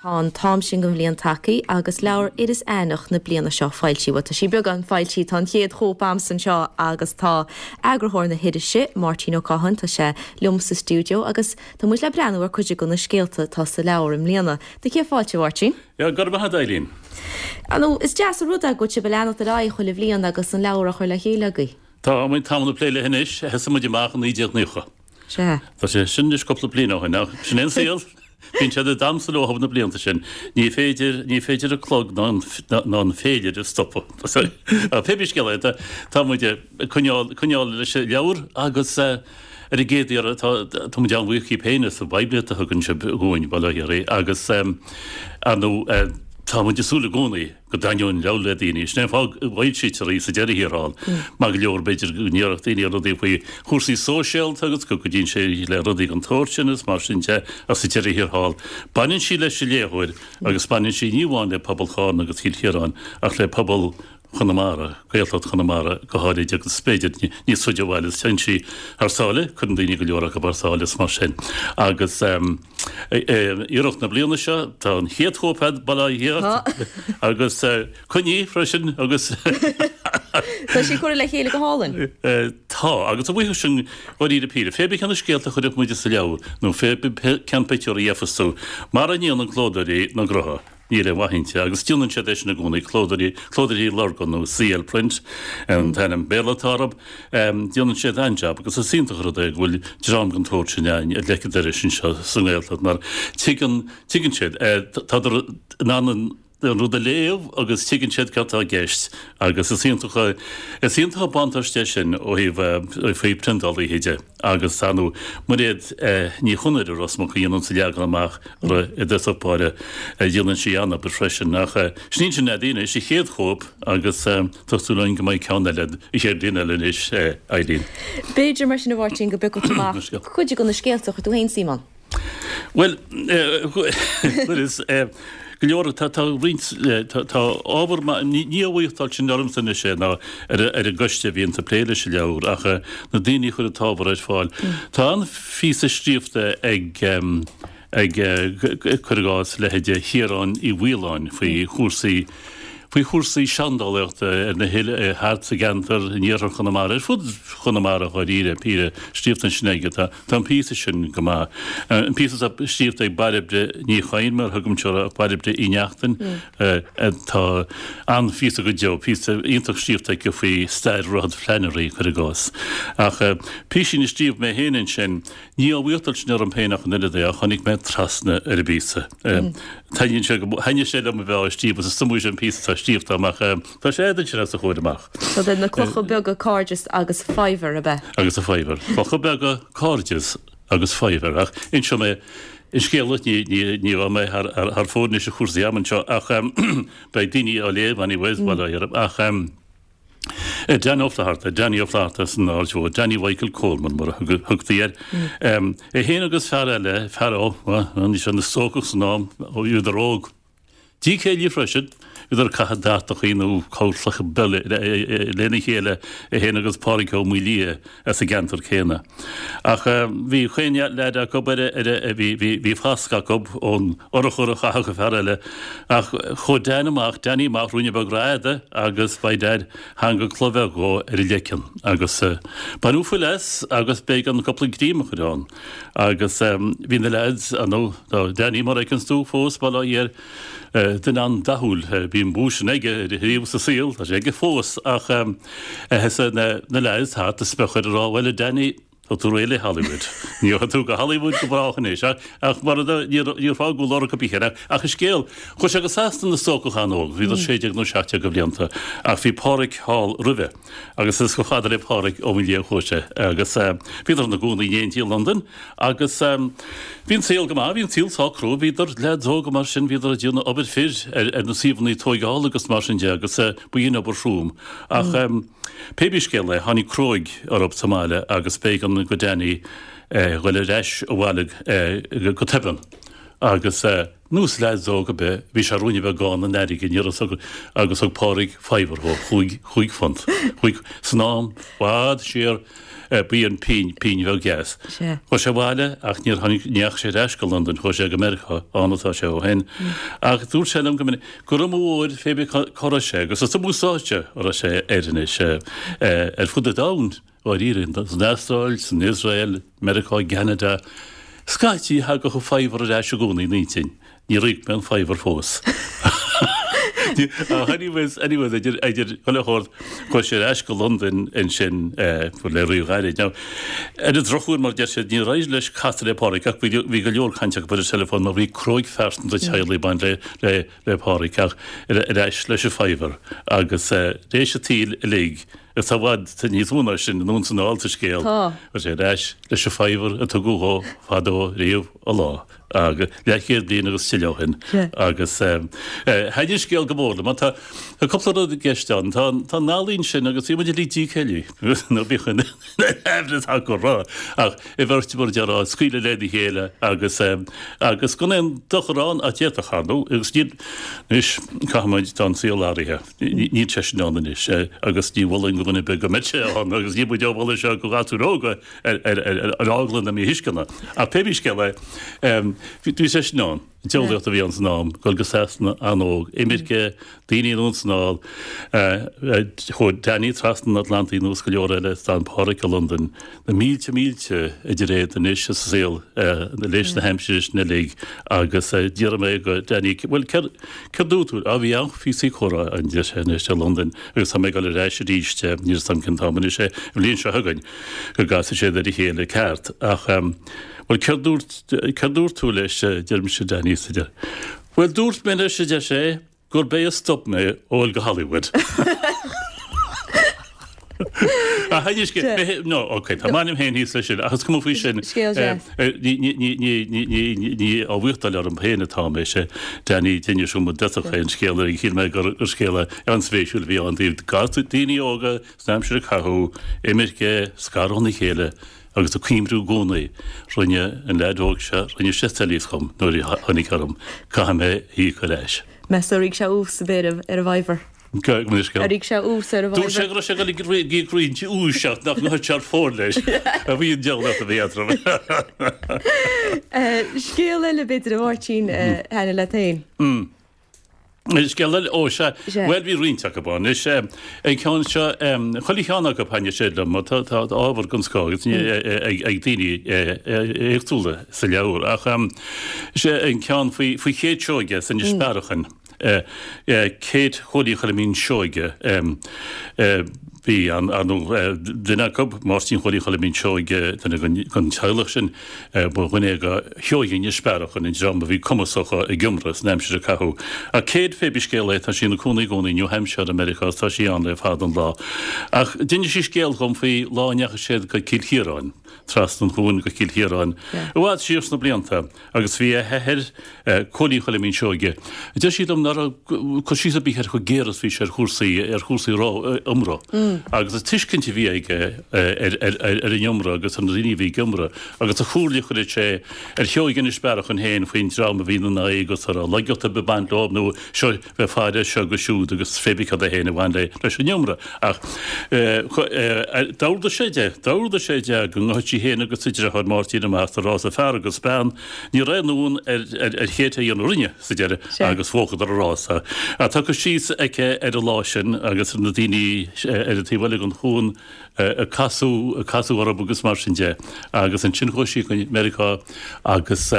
Tá an t-am sin den bhliain tagtha agus leabhar Iris Aithneach na bliana seo foilsithe. Bhuel, tá sí beagán foilsithe, tá an chéad chóip a'msa anseo agus tá eagarthóir na hirise, Máirtín Ó Cadhain, tá sé liom sa stiúideo agus tá muid le breathnú ar cuid de na scéalta atá sa leabhar i mbliana. Tá céad fáilte, a Mháirtín. Yeah, go raibh maith agat, Eileen. Ar ndóigh, is deas an rud é go bhfuil sibh ag leanacht ar aghaidh chuile bhliain agus an leabhar á chur le chéile agaibh. Tá muid tamall ag plé léi anois, thosaigh muid amach i 1990. Sea. Tá sé sin anois cúpla bliain ó shin, ach sin é an saol. Bíonn siad ag damhsa leo na blianta sin. Ní féidir, ní féidir an clog ná an, ná an féilire a stopadh. Pé bith scéal é, tá, tá muid ag coinneáil, coinneáil leis an leabhar agus ar an gcéad iarraidh tá, tá muid an-bhuíoch díbh féin as an bpoiblíocht a thugann sibh dhúinn, bail ó Dhia oraibh, agus ar ndóigh tá muid ag súil i gcónaí go dtaitneoidh an leabhar le daoine. Sin é an fáth go bhfoilsítear í sa deireadh thiar thall. Maith go leor, b'fhéidir go ndéarfadh daoine rudaí faoi chúrsaí sóisialta agus go gcuidíonn sé le rudaí den tsórt sin agus mar sin de ach sa deireadh thiar thall, baineann sí leis an léitheoir agus baineann sí ní amháin le pobal Charna agus Chill Chiaráin ach le pobal Chonamara, Gaeltacht Chonamara go háirid agus b'fhéidir níos faide ó bhaile. Téann sí thar sáile, cuireann daoine go leor acu thar sáile is mar sin. Agus iarracht na bliana seo, tá an chéad chóip a'd, bail ó Dhia ort, agus coinnigh í freisin agus. Tá sí curtha le chéile go hálainn. Tá, agus a bhuíochas sin dháiríre píre, pé bith cé na scéalta a chuirfeadh muide sa leabhar nó pé bith cén pictiúr a gheofas tú, mara ndéanann clódóirí na gcrutha. Níl aon mhaith inti, agus déanann siad é sin i gcónaí, Clódóirí, Clódóirí Lurgan nó CL Print an t-ainm Béarla atá orthu, déanann siad an-jab agus is iontach an rud é go bhfuil dream den tsórt sin againn ar leic an dorais anseo sa nGaeltacht mar tuigeann, tuigeann siad, tádar in ann an rud a léamh agus tuigeann siad céard atá i gceist agus is iontach, is iontach an buntáiste é sin ó thaobh, ó thaobh priontálaithe de. Agus ar ndóigh, Mairéad Ní Chonaire Ros Muc a dhéanann an leagan amach i dtosach báire, déanann sí an-obair freisin. Ach sin sin é anois, an chéad chóip agus tá súil againn go mbeidh ceann eile an chéad bhliain eile anois, Eileen. B'fhéidir mar sin a Mháirtín go bpiocfadh tú amach cuid de na scéalta a chuir tú féin suim ann. Bhuel, is go leor, tá roinnt, tá ábhar maith, ní á bhuíochtáil sin ormsa anois é ná ar an gcoiste a bhíonns ag plé leis an leabhar ach na daoine a chuir an t-ábhar ar fáil. Tá an-phíosa scríofa ag, ag, cuir i gcás, leithéide Chiaráin Uí Mhaoláin faoi chúrsaí, faoi chúrsaí seandálaíochta ar na hoileáin thart sa gceantar in iarthar Chonamara, ar fud Chonamara dháiríre píre, scríofa ansin aige. Tá an píosa sin go maith. An píosa atá scríofa ag Bairbre Ní Chadhain, mar a thugaimse uirthi, ach Bairbre Uí Neachtain, tá an-phíosa go deo, píosa iontach scríofa aici faoi stair Dhroichead Flannery, cuir i gcás. Ach písín a scríobh mé féin ansin, Ní á bhuíochtáil sin orm féin ach an oiread é, ach tháinig mé trasna ar an bpíosa. Taitníonn sé go, thaitnigh sé liom a bheith á scríobh agus is iomaí sin píosa atá scríofa agam ach tá sé a'd ansin os do chomhair amach. So de na clocha beaga cairdeas agus faobhar, ab ea? Agus a faobhar. Clocha beaga cairdeas agus faobhar. Ach inseoidh mé an scéal duit, ní, ní, ní raibh mé thar, thar fóir anois i chúrsaí ama anseo ach beidh daoine á léamh anyways, bail ó Dhia orthu, ach. Dan Ó Flatharta, Danny Ó Flatharta san Aird Mhór, Danny Mhichael Coleman mar a thugtaí air. É féin agus fear eile, fear ó, bhí sé ina stócach san am, ó bhíodar óg. Dícéillí freisin, bhíodar ag caitheamh dartachaí nó corrchlocha lena chéile, é féin agus Pádraig Ó Maolaodha as an gceantar céanna. Ach bhí chaon leaid acu ar a, bhí, bhí, bhí fascadh acu ón urchar a chaitheadh an fear eile. Ach chuaigh Dan amach, Danny amach, ruainne beag rófhada agus by dad, tháinig cloch bheag dhó ar a leiceann. Agus baineadh fuil as agus b'éigean cúpla greim a chur ann. Agus bhí na leaids, ar ndóigh, tá Danny mar a fheiceanns tú fós, bail ó Dhia air, duine an-dathúil, bhí an bua sin aige riamh sa saol, tá sé aige fós, ach thosaigh na leaids thart ag spochadh air ag rá, bhuel a Danny, tá tú réidh le Hollywood. Ní rachaidh tú go Hollywood go brách anois. Ach mar a níor fágadh lorg ar bith air. Ach an scéal, chuaigh sé go Sasana ina stócach an-óg, bhí 16 nó 17 de bhlianta, ach bhí Páraic thall roimhe agus is chomh fada le Páraic Ó Maolaodha a chuaigh sé. Agus bhíodar ina gcónaí in éindí i Londain agus bhí an saol go maith, bhí an saol sách crua, bhíodar leaids óga mar sin, bhíodar ag déanamh obair fir ar na suíomhanna tóigeála agus mar sin de agus ba in obair throm. Ach pé bí scéal é, tháinig cruóg orthu sa mbaile agus b'éigean go Danny dhul ar ais abhaile go tobann agus. Nós leaids óg ab ea, bhí sé romhainn a bheith gann in airgead, ní raibh a fhios acu, agus thug Pádraig faobhar dhó, chúig, chúig phunt, chúig, san am, bhfad siar, b'í an phingin, pingin bheag dheas. Sea. Chuaigh sé abhaile ach níor tháinig, ní dheachaigh sé ar ais go Londain, chuaigh sé go Meiriceá, ann atá sé ó shin. Ach dúirt sé liom go minic gur iomaí uair fé bith cá raibh sé, agus is iomaí stáitse a raibh sé air anois, ar fud an domhain. Dáiríre, san Astráil, san Iosrael, Meiriceá, i gCeanada, scaití thagadh an faobhar ar ais i gcónaí ina intinn. Níor íoc mé an faobhar fós. Ach anyways, anyways, idir, idir chuile shórt, chuaigh sé ar ais go Londain ansin le ríghairid. Now, ar an drochuair, mar a deir siad, níor éirigh leis casadh le Pádraic ach bhí, bhí go leor cainte acu ar an teileafón mar bhí cróig phearsanta teaghlaigh ag baint le, le, le Pádraic ach ar, ar ais leis an faobhar agus tar éis an tsaoil uilig, Is tá i bhfad níos mó ná sin anonn 's anall sa scéal. Tá. Chuaigh sé ar ais leis an faobhar a tugadh dhó fadó riamh a lá, agus leathchéad bliain agus tuilleadh ó shin. Agus thaitin an scéal go mór liom. Tá cúpla rud i gceist ann. Tá an ealaín sin agus bhí muid uilig dícéillí, nó bíodh an aimhreas acu rá, ach i bheirt mar a déarfá, ag scaoileadh lena chéile agus agus gan aon dochar ann ach d'fhéadfadh, ar ndóigh, agus níl, anois, caithfimid, tá an saol athraithe. Níl sé sin ann anois agus ní mholfainn do dhuine ar bith go mbeadh sé ann agus níl muid á mholadh seo do ghasúir óga ar eagla na míthuisceana. Ach pé scéal é, bhí sé sin ann, an diabhlaíocht a bhí ann san am, dul go Sasana an-óg, imirce, daoine anonn 's anall, chuaigh Danny trasna an Atlantaigh nós go leor eile, d'fhan Páraic i Londain. Na mílte mílte idir iad anois sa saol leis na haimsire sin uilig agus d'fhiafraigh mé go Danny, bhuel céard céard dúirt tú? Á bhí an-phíosaí comhrá ann deir sé anois i Londain agus tá mé ag dul ar ais arís níl 'fhios a'm cén t-am anois é, an bhliain seo chugainn go gcasfaidh siad ar a chéile ceart ach bhuel céard dúirt céard dúirt tú leis deirimse Danny sa deir bhuel dúirt mé leis a deir sé gurb é a stop mé ó dhul go Hollywood. Ach anois, no, ok, tá m'ainm féin thíos leis sin, ach is cuma faoi sin. Scéal deas. Ní, ní, ní, ní, ní, ní, ní á mhaíochtáil orm féin atá mé, sé Danny d'inis dom i dtosach é an scéal, agus shíl mé gur scéal an-spéisiúil a bhí ann, taobh daoine óga san aimsir a caitheadh, imirce, scaradh óna chéile, Agus ag cuimhniú i gcónaí, rinne an leaid óg seo, rinne sé soilíos dhom nuair a tháinig orm, caithfidh mé a íoc ar ais. Meas tú ar íoc sé ús ar bith ar an bhfaobhar? Go mbeidh scéal. Ar íoc sé ús ar an Dúirt sé go raibh sé ag dul ag íoc roinnt úis ach nach ngabhfadh sé ar fóir leis. A bhí an diabhlaíocht a bhí eatarthu. Scéal eile b'fhéidir a Mháirtín a thaitnigh leat féin? Scéal eile, ó sea, Sea. bhuel bhí roinnt acu ann. Is é an ceann seo, chuile cheann acu thaitnigh sé liom, mar tá tá ábhar den scoth agus ag ag daoine éagsúla sa leabhar. Ach is é an ceann faoi faoi Kate Seoige as Inis Bearachain, Kate Chóilí Choilimín Seoige, bhí an, ar ndóigh, duine acu, Máirtín Chóilí Choilimín Seoige, duine den den teaghlach sin, Ba dhuine é go Sheoighe Inis Bearachain, an dream a bhí cumasach ag iomramh san aimsir a caitheadh. Ach Kate, pé bith scéal é, tá sí ina cónaí i gcónaí i New Hampshire i Meiriceá is tá sí ann le fada an lá. Ach d'inis sí scéal dhom faoi lá a ndeachaigh siad go Cill Chiaráin, trasna an chuain go Cill Chiaráin, i bhfad siar sna blianta, agus bhí a hathair, Cóilín Choilimín Seoige. Deir sí liom nach raibh cur síos ar bith air chomh géar is bhí sé ar chúrsaí, ar chúrsaí iomramh. Agus an tuiscint a bhí aige ar an iomramh agus ar na daoine a bhí ag iomramh agus an chomhairle a chuireadh sé ar Sheoighe Inis Bearachain féin faoin dream a bhí ina n-aghaidh agus a raibh laigeacht ar bith ag baint leo nó seo bheith faire seo agus siúd agus pé bith cad é féin a bhain leis an iomramh. Ach d'ordaigh sé di, d'ordaigh sé di go ngabhfadh sí féin agus a deartháir Máirtín amach sa rása fear agus bean. Ní raibh aon uain ar Kate a dhéanamh a rinne sa deireadh agus bhuadar an rása. Tá cur síos aici ar an lá sin agus ar na daoine ar an taobh eile den chuan ag casadh, ag casadh orthu agus mar sin de. Agus ansin chuaigh sí go Meiriceá agus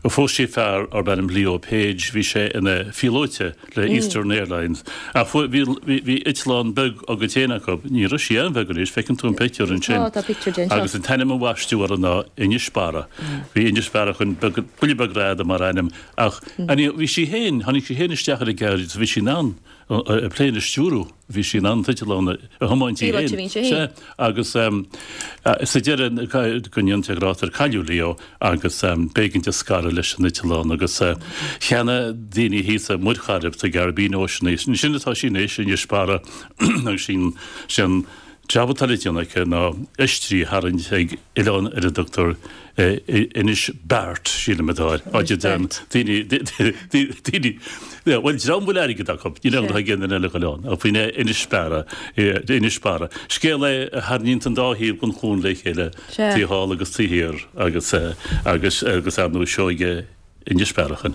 phós sí fear arb ainm Leo Page, bhí sé ina phíolóite le Eastern Airlines. Ach bhí, bhí eitleán beag á gcuid féin acu. Ní raibh sí an-bheag anois, feiceann tú an pictiúr ansin. Tá, tá pictiúr de anseo. Agus an t-ainm a bhaisteadh uirthi ná Inis Barra. Bhí Inis Bearachain beag, buille beag greadadh mar ainm. Ach bhí sí féin, tháinig sí féin isteach ar an gceird is bhí sí in ann an plane a stiúrú. Bhí sí in ann an t-eitleán a thiomáint í féin. Bhí sí féin. Sea. Agus sa deireadh, go ndéana Dia grásta air, cailleadh Leo agus b'éigean di scaradh leis an eitleán agus cheannaigh daoine thíos i Muir Chairib sa Caribbean Ocean í. Sin atá sí anois, Inis Barra agus sin, sin. Jab atá le déanamh aici ná oistrí a tharraingt ag oileán ar a dtugtar Inis Beart, sílim atá air, áit a dtéann daoine, daoine, bhuel, dream a bhfuil airgead acu, níl aon rud ag aon duine eile a ghoil ann, ach faoin Inis Beara, Inis Barra. Scéal é a tharraingíonn an dá thaobh den chuan le chéile, taobh thall agus taobh thiar agus, agus, agus ar ndóigh sióige Inis Bearachain.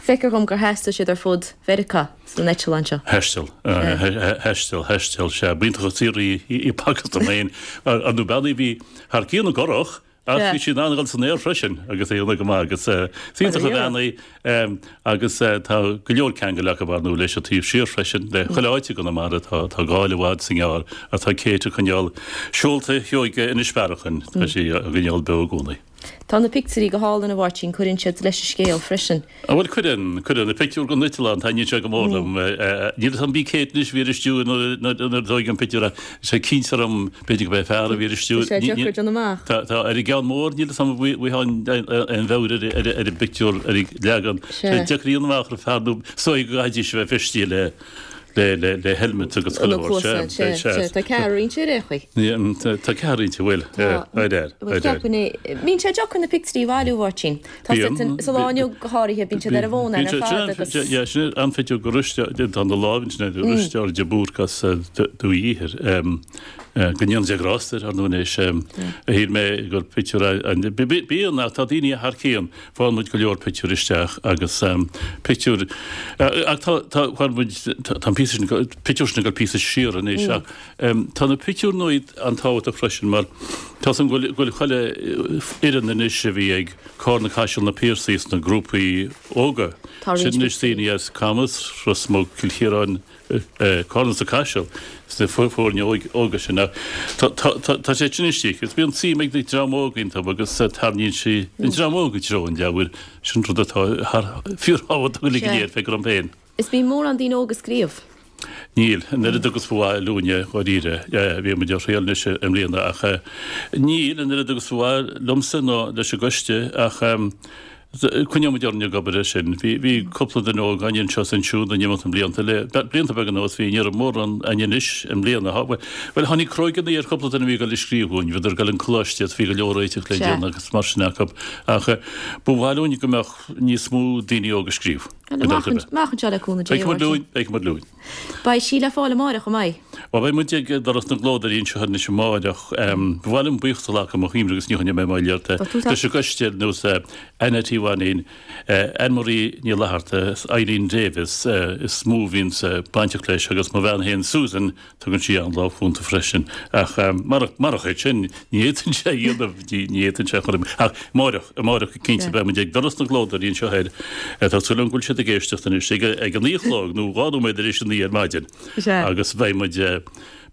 Feictear dhom gur thaistil siad ar fud Mheiriceá san eitleán seo. Thaistil. Thaistil, thaistil, sea. B'iontach an saothar í í b'fhacthas dom féin. Ar ndóigh bean í a bhí thar cionn i gcurach ach bhí sí in ann a dhul san aer freisin agus é ionadh go maith agus is iontach an bhean í agus tá go leor ceangail acu ar ndóigh leis an taobh siar freisin le chuile áit i gConamara tá tá Gáil i bhfad is i ngearr ach tá Kate ag coinneáil seolta Shióige Inis Bearachain tá sí á gcoinneáil beo i gcónaí. Tá na pictiúirí go hálainn, a Mháirtín, cuireann siad leis an scéal freisin. Á bhuel, cuireann, cuireann. Na pictiúir den eitleán, taitníonn sé go mór liom. Níl 'fhios a'm bí Kate anois a bhí ar an stiúir nuair a tóigeadh an pictiúr ach tá sé cinnte orm b'fhéidir go b'é fear a bhí ar an stiúir. Tá sé deacair déanamh amach. Tá, tá, ar an gceann mór níl 'fhios a'm an bhfuil aon mheabhair ar an bpictiúr, ar an leagan. Tá sé deacair a dhéanamh amach ar fear nó is dóigh go gcaithfidís a bheith feistithe le le le helmet agus chuile shórt. Sea, sea, sea. Tá ceathrar inti ar aon chaoi. Tá ceathrar inti, bhfuil. Ar air, ar air. Ceapaim é. Bíonn sé deacair na pictiúirí a bhailiú, a Mháirtín. Tá siad sa lá inniu go háirithe, bíonn siad ar an bhfón ar fad agus. Yeah, sin an pictiúr go ruiste, tá na lámh ansin ar ruiste ar de Búrc as Dumhaigh Íothair. Go ndéana Dia grásta air, ar ndóigh anois. Shíl mé gur pictiúr bíonn ach tá daoine thar cionn. Faigheann muid go leor pictiúr isteach agus pictiúr ach tá tá faigheann muid tá an píosa sin pictiúr sin ag dul píosa siar anois ach tá na pictiúir nua an-tábhachtach freisin mar tá 's agam go bhfuil go bhfuil chuile fhoireann anois a bhí ag Cárna Caiseal na Piarsaigh sna grúpaí óga. Sin anois daoine as Camas, Ros Muc, Cill Chiaráin, Cárna sa Caiseal sna foirne óga sin ach tá sé sin istigh agus bíonn suim ag an dream óg iontu agus tarraingíonn sí an dream óg i dtreo an leabhair. Sin rud atá thar fíorthábhachtach uilig go léir, feictear dom féin. Is bíonn mórán daoine óga ag scríobh. Níl, an oiread agus ba mhaith lúinne, dháiríre. Bhí muid á thriail anois i mbliana ach níl an oiread agus ba mhaith liomsa nó leis an gcoiste ach Coinneoidh muid orainn ag obair air sin. Bhí, bhí cúpla duine óg againn anseo is ansiúd in imeacht na mblianta, le blianta beaga anuas, bhí, ní raibh mórán againn anois i mbliana. Thá, bhuel, bhuel, tháinig cróigeanna ar chúpla duine a bhí ag dul ag scríobh dhúinn, bhíodar ag dul an coláiste is bhí go leor réiteach le déanamh agus mar sin acu. Ach ba mhaith linn go mbeadh níos mó daoine óga ag scríobh. Amach, amach anseo le cúnamh Dé, a Mháirtín. Feicfidh muid lúinn, feicfidh muid lúinn. Beidh sí le fáil amáireach, an mbeidh? Bhuel, beidh muid ag Doras na gClódóirí anseo anois amáireach. Ba mhaith liom buíochas a ghlacadh mo chuimhne agus ní choinneoidh mé moill ort. Leis an gcoiste ar nós Annette Uí Mhainín, Anne Marie Ní Fhlatharta, Eileen Davis is mó a bhíonns bainteach leis agus mo bhean féin Susan, Tugann sí an-lámh chúnta freisin. Ach marach é sin, ní fhéadfainnse é a dhéanamh, ní fhéadfainnse é a chur i. Ach amáireach, amáireach go cinnte, beidh muid ag doras na gclódóirí anseo thoir. Tá súil agam go bhfuil siad ag éisteacht anois, ag a naoi a chlog, nó 2 nóiméad tar éis a naoi ar maidin. Agus beidh muid,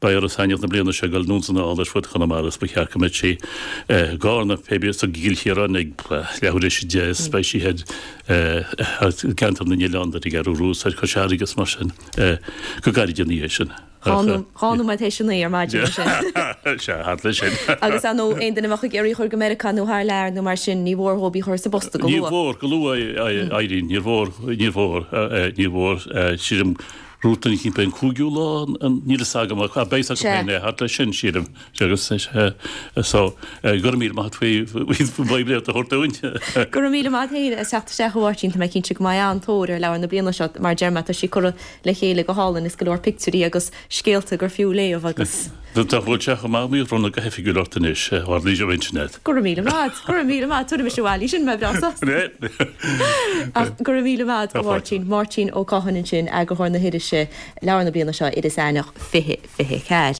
beidh Iris Aithneach na bliana seo ag dul anonn is anall ar fud Chonamara is ba cheart go mbeadh sí i gCarna, pé bí, sa gCill Chiaráin ag leathuair tar éis a 10 is beidh sí thoir i gceantar na nOileán, ar an gCeathrú Rua, ar Chois Fharraige is mar sin. Go gairid ina dhiaidh sin. Dhá nóiméad théis a naoi ar maidin mar sin. Sea, thart leis sin. Agus ar ndóigh, aon duine a bheadh ag iarraidh a chur go Meiriceá nó thar lear nó mar sin, ní mhór dhóibh í a chur sa bpost go luath. Níor mhór, go luath, a Irene, níor mhór, níor mhór, níor mhór, sílim, rút an chinn, an cúigiú lá, níl fhios agam, ach beidh fhios acu féin é, thart leis sin, sílim. Agus so, go raibh míle maith agat faoi faoin bpoiblíocht a thabhairt dúinn. Go raibh míle maith agat féin as teacht isteach a Mháirtín, tá mé cinnte go mbeidh an-tóir ar leabhar na bliana seo, mar a deir mé tá sí curtha le chéile go hálainn is go leor pictiúirí agus scéalta gur fiú léamh agus. Dá bhfuil sé chomh maith mé a bhronnadh go hoifigiúil ort anois, a tharlaíonn sé roinnt net. Go raibh míle maith agat, go raibh míle maith, tabharfaidh mise abhaile í sin, mbeidh breá sásta. Ach go raibh míle maith agat a Mháirtín, Máirtín Ó Catháin ansin, eagarthóir na hirise, leabhar na bliana seo, Iris Aithneach 2024.